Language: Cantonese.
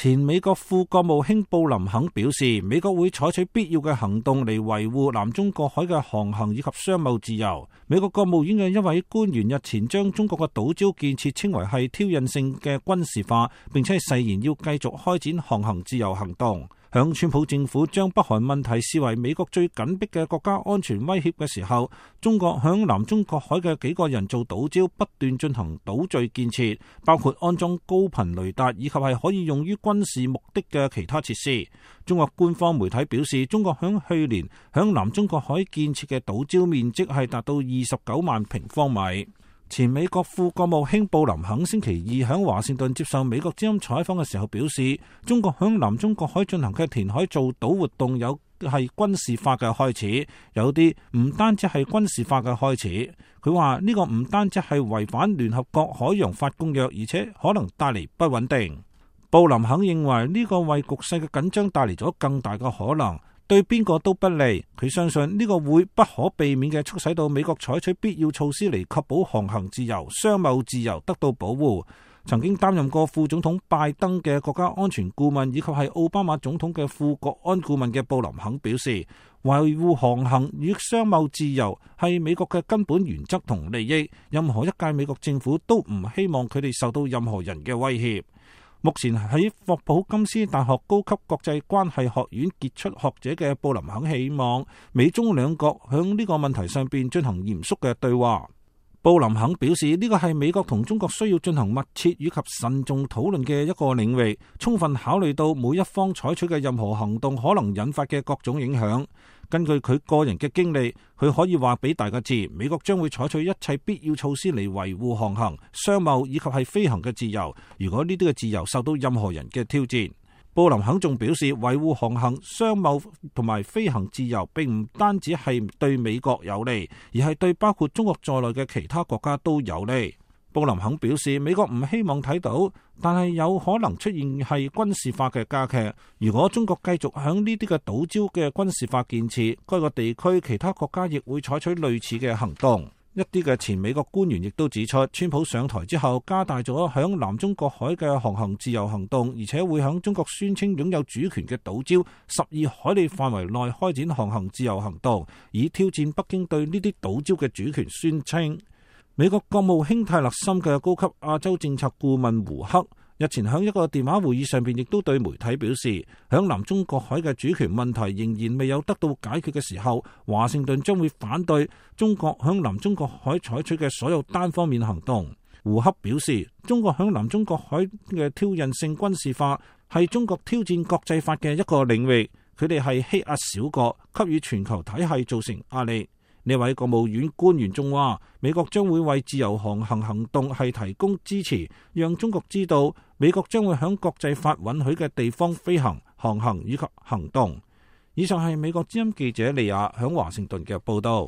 前美國副國務卿布林肯表示，美國會採取必要嘅行動嚟維護南中國海嘅航行以及商貿自由。美國國務院嘅一位官員日前將中國嘅島礁建設稱為係挑釁性嘅軍事化，並且誓言要繼續開展航行自由行動。響川普政府將北韓問題視為美國最緊迫嘅國家安全威脅嘅時候，中國響南中國海嘅幾個人造島礁不斷進行島嶼建設，包括安裝高頻雷達以及係可以用於軍事目的嘅其他設施。中國官方媒體表示，中國響去年響南中國海建設嘅島礁面積係達到29萬平方米。前美國副國務卿布林肯星期二響華盛頓接受美國之音採訪嘅時候表示，中國響南中國海進行嘅填海造島活動有係軍事化嘅開始，有啲唔單止係軍事化嘅開始。佢話呢個唔單止係違反聯合國海洋法公約，而且可能帶嚟不穩定。布林肯認為呢個為局勢嘅緊張帶嚟咗更大嘅可能，對邊個都不利。佢相信呢個會不可避免嘅促使到美國採取必要措施嚟確保航行自由、商貿自由得到保護。曾經擔任過副總統拜登嘅國家安全顧問以及係奧巴馬總統嘅副國安顧問嘅布林肯表示，維護航行與商貿自由係美國嘅根本原則同利益，任何一屆美國政府都唔希望佢哋受到任何人嘅威脅。目前喺霍普金斯大學高級國際關係學院傑出學者嘅布林肯希望美中兩國響呢個問題上邊進行嚴肅嘅對話。布林肯表示，呢個係美國同中國需要進行密切以及慎重討論嘅一個領域，充分考慮到每一方採取嘅任何行動可能引發嘅各種影響。根據佢個人嘅經歷，佢可以話俾大家知，美國將會採取一切必要措施嚟維護航行、商貿以及係飛行嘅自由，如果呢啲嘅自由受到任何人嘅挑戰。布林肯仲表示，維護航行、商貿同埋飛行自由並唔單止係對美國有利，而係對包括中國在內嘅其他國家都有利。布林肯表示，美國唔希望睇到，但係有可能出現係軍事化嘅加劇。如果中國繼續響呢啲嘅島礁嘅軍事化建設，該個地區其他國家亦會採取類似嘅行動。一啲嘅前美國官員亦都指出，川普上台之後加大咗響南中國海嘅航行自由行動，而且會響中國宣稱擁有主權嘅島礁12海里範圍內開展航行自由行動，以挑戰北京對呢啲島礁嘅主權宣稱。美國國務卿泰勒森嘅高級亞洲政策顧問胡克日前喺一個電話會議上邊，亦都對媒體表示，響南中國海嘅主權問題仍然未有得到解決嘅時候，華盛頓將會反對中國響南中國海採取嘅所有單方面行動。胡克表示，中國響南中國海嘅挑釁性軍事化係中國挑戰國際法嘅一個領域，佢哋係欺壓小國，給予全球體系造成壓力。呢位國務院官員仲話，美國將會為自由航行行動係提供支持，讓中國知道美國將會響國際法允許嘅地方飛行、航行以及行動。以上係美國之音記者利亞響華盛頓嘅報道。